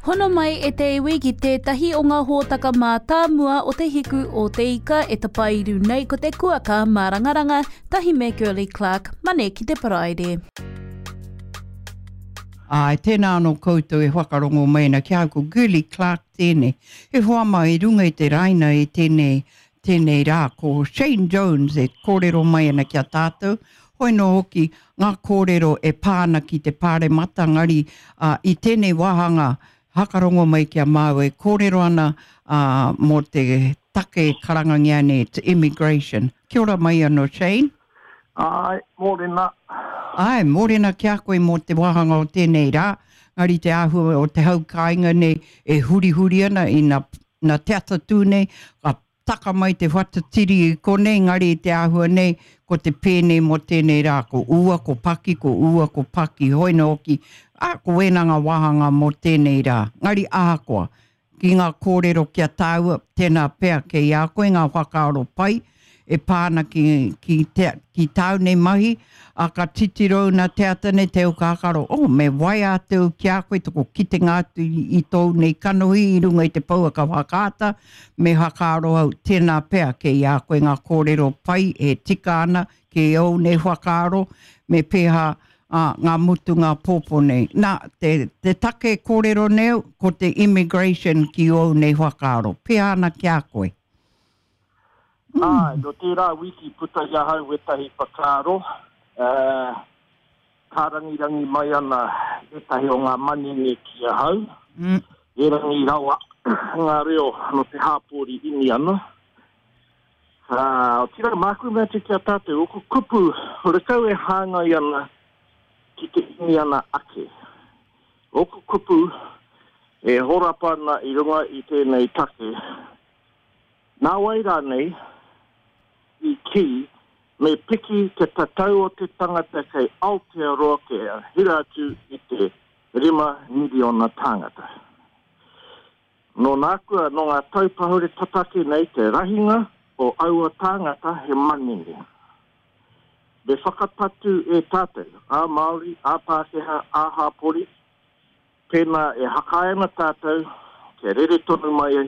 Hono mai e te iwi ki tētahi o ngā hōtaka mātāmua o Te Hiku o Te Ika e tapairu nei ko te kuaka mārangaranga tahi me Girlie Clarke, Mane ki te Paraire. Āe, tēnā anō koutou e whakarongo mai ana ki a au, ko Girlie Clarke tēnei. He hoa mai i runga i te raina i tēnei, tēnei rā, ko Shane Jones e kōrero mai ana ki a tātou, hoi nō hoki ngā kōrero e pā ana ki te Pāremata, engari ā, i tēnei wāhanga hakarongo mai ki a māua e kōrero ana ā, mō te take e karangangia nei it's immigration. Kia ora mai anō Shane. Āe, mōrena. Āe, mōrena ki a koe mō te wāhanga o tēnei rā, engari te āhua o te hau kāinga nei e hurihuri ana ina, ina te ata tū nei, ka taka mai te whatatiri i konei, engari i te āhua nei, ko te pēnei mō tēnei rā, ko ua, ko paki, ko ua, ko paki, hoi nō hoki, ā, ko wēnā ngā wāhanga mō tēnei rā. Engari ahakoa, ki ngā kōrero ki a tāua, tēnā pea kei a koe ngā whakaaro pai e pā ana ki, ki, te, ki tāu nei mahi, ā, ka titiro au nā te ata nei te au kākaro, oh, me waea atu au ki a koe toko kitenga atu i, i tōu nei kanohi i runga i te pouaka whakaata, me whakaaro au, tēnā pea kei a koe ngā kōrero pai e tika ana ki ōu nei whakaaro, me pēhā, ā, ngā mutunga pōpō nei. Nā, te, te take kōrero nei au, ko te immigration ki ōu nei whakaaro. Pēhā ana ki a koe? Mm. Āe, nō tērā wiki puta i ahau wētahi whakaaro, uh, kārangirangi mai ana ētahi o ngā manene ki ahau, mm. erangi rawa ngā reo nō te hāpori Iniana. Ā, otirā, māku mea atu ki a tātou, ōku kupu horekau e hāngai ana ki te Iniana ake. Ōku kupu e horapa ana i runga i tēnei take, Nāwai rānei i kī me piki te tatau o te tangata kei Aotearoa kia hira atu i te 5 miriona tāngata. Nō nākua, nō ngā tau pahure tata ake nei te rahinga o aua tāngata he manene. Me whakapatu e tātou, ā-Māori, ā-Pākehā, ā-hāpori, pēnā e hakaae ana tātou kia rere tonu mai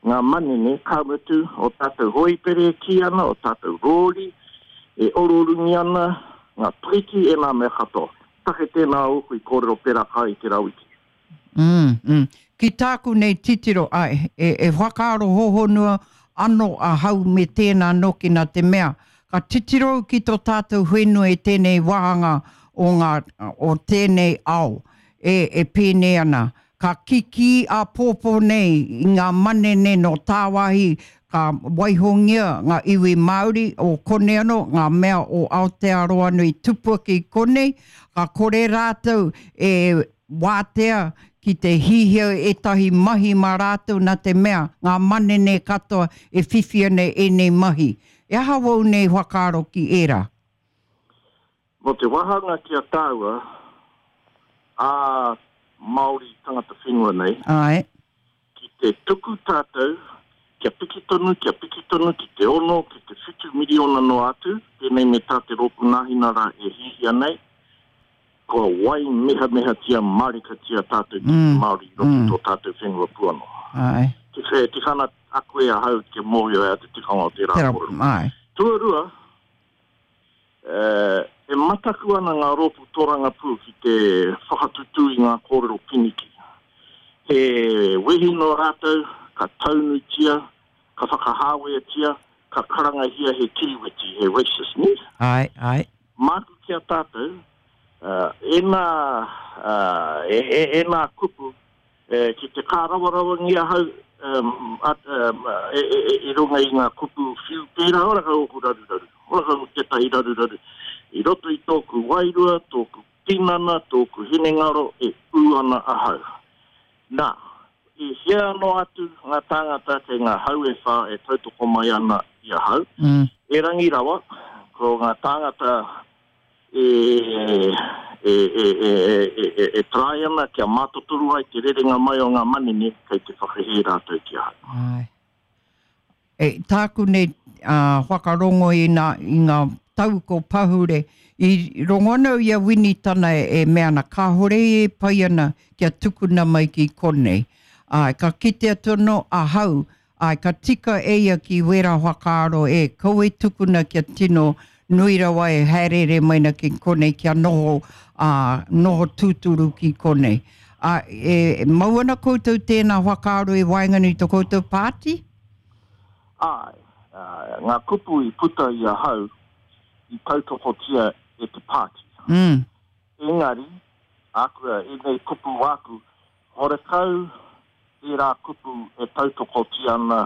ngā manene, ka mutu, o tātou hōipere e kī ana, o tātou rōri e ororungi ana, ngā piriti, ēnā mea katoa. Take tēnā ōku i kōrero pērā kai i tērā wiki. Mm, mm. Ki tāku nei titiro, āe, e, e whakaaro hohonua ano ahau me tēnā noki nā te mea, ka titiro au ki tō tātou whenua i tēnei wāhanga o ngā, o tēnei ao, e, e pēnei ana, ka kikī āpōpō nei i ngā manene nō tāwāhi, ka waihongia ngā iwi Māori o konei anō, ngā mea o Aotearoa anō i tupu ake i konei, ka kore rātou e wātea ki te hihia ētahi mahi mā rātou nā te mea ngā manene katoa e whiwhi ana ēnei mahi. E aha wou nei whakaaro ki ērā? Mō te wāhanga ki a tāua, ā Māori tangata whenua nei, Āe. ki te tuku tātou kia piki tonu, kia piki tonu ki te ono, ki te whitu miriona noa atu, pēnei me tā te Rōpū Nāhinara e hiahia nei, kua waimehamehatia mārikatia tātou ki te Māori i roto i tō tātou whenua puano. Āe. Tika, e tika ana a koe ahau kia mōhio ai te tikanga o tērā kōrero. Āe. Tuarua, E mataku ana ngā rōpū tōrangapū ki te whakatutū i ngā kōrero piniki. He wehi nō rātou, ka taunutia, ka whakahāweatia, ka karangahia he kiriweti, he racist, nē? Āe, āe. Māku ki a tātou, ēnā, ēnā kupu Ki te kārawarawangi ahau i runga i ngā kupu whiu pērā, ora kau ōku raruraru, ora kau tētahi raruraru i roto i tōku wairua, tōku tinana, tōku hinengaro e ū ana ahau. Nā, i hea noa atu ngā tāngata kei ngā hau e whā e tautoko mai ana i ahau, erangi rawa, ko ngā tāngata e, e, e, e, e, e, e try ana kia mātotoru ai te rerenga mai o ngā manene kei te whakahē rātou ki ahau. Āe. E, tāku nei uh, whakarongo i, nā, i ngā tau ko pahure, i rongo ana au i a Winitana e mea ana kāore e pai ana kia tukuna mai ki konei. Āe, ka kite atu anō ahau, āe, ka tika e ia ki wērā whakaaro e, kaua e tukuna kia tino nui rawa e haereere mai na ki konei kia noho, ā, noho tūturu ki konei. Ā, e mau ana koutou tēnā whakaaro i waenganui i to koutou pāti? Āe, ngā kupu i puta i ahau i tautokotia e te pāti. Mm. Engari, āku, ēnei kupu āku, horekau ērā kupu e tautokotia ana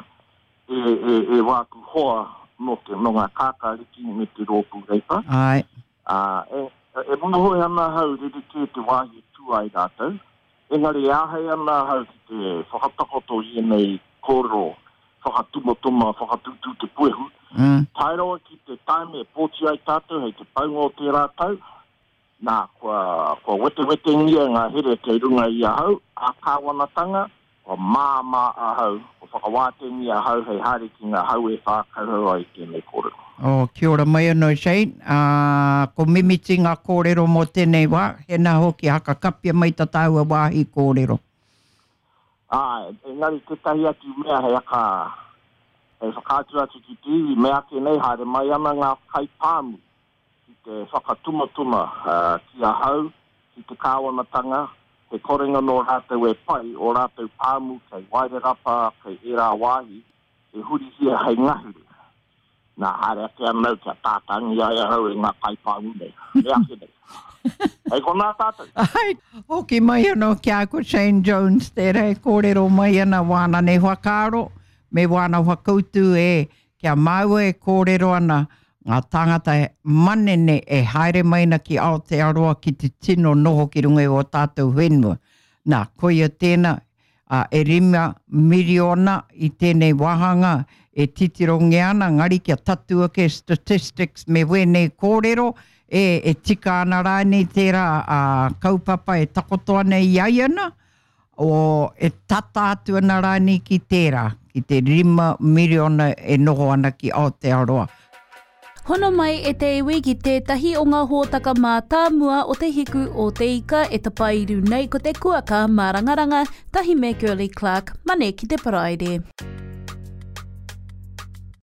e, e, e wāku hoa nō te, nō ngā kākāriki me te rōpū Reipa. Āe. Ā, e, e mōhio ana ahau rerekē te wāhi e tū ai rātou, engari e āhei ana ahau ki te whakatakoto i ēnei kōrero whakatumatuma, whakatūtū te puehu, mm. tae rawa ki te taime e pōti ai tātou hei te paunga o tērā tau, nā, kua, kua wetewetengia ngā here kei runga i ahau, ā-kāwanatanga, kua māmā ahau, kua whakawātengia ahau hei haere ki ngā hau e whā kauhau ai i tēnei kōrero. Oh, kia ora mai anō Shane. Ā, ko mimiti ngā kōrero mō tēnei wā, hēnā hoki haka kapia mai tā tāua wāhi kōrero. Āe, engari tētahi atu mea hei aka, hei whakaatu atu ki te iwi, meake nei haere mai ana ngā kaipāmu ki te whakatumatuma ki ahau, ki te kāwanatanga, he korenga nō rātou e pai, ō rātou pāmu kei Wairarapa, kei ērā wāhi, e hurihia hei ngahere. Nā, haere ake ana au kia tātangi ai ahau e ngā kaipāmu nei. Me ake nei. Hei konā tātou. Ai, hoki mai anō ki a ko Shane Jones tērā e kōrero mai ana wāna nei whakaaro me wāna whakautu e kia māua e kōrero ana ngā tāngata manene e haere mai ana ki Aotearoa ki te tino noho ki runga i ō tātou whenua. Nā, koia tēnā, ā, e rima miriona i tēnei wāhanga e titirongia ana, engari kia tatū ake statistics me wēnei kōrero, e, e tika ana rānei tērā ā, kaupapa e takoto ana i a ia ana, o, e tata atu ana rānei ki tērā, ki te rima miriona e noho ana ki Aotearoa. Hono mai e te iwi ki tētahi o ngā hōtaka mātāmua o Te Hiku o Te Ika e tapairu nei ko te kuaka mārangaranga tahi me Girlie Clark, Mane ki te Paraire.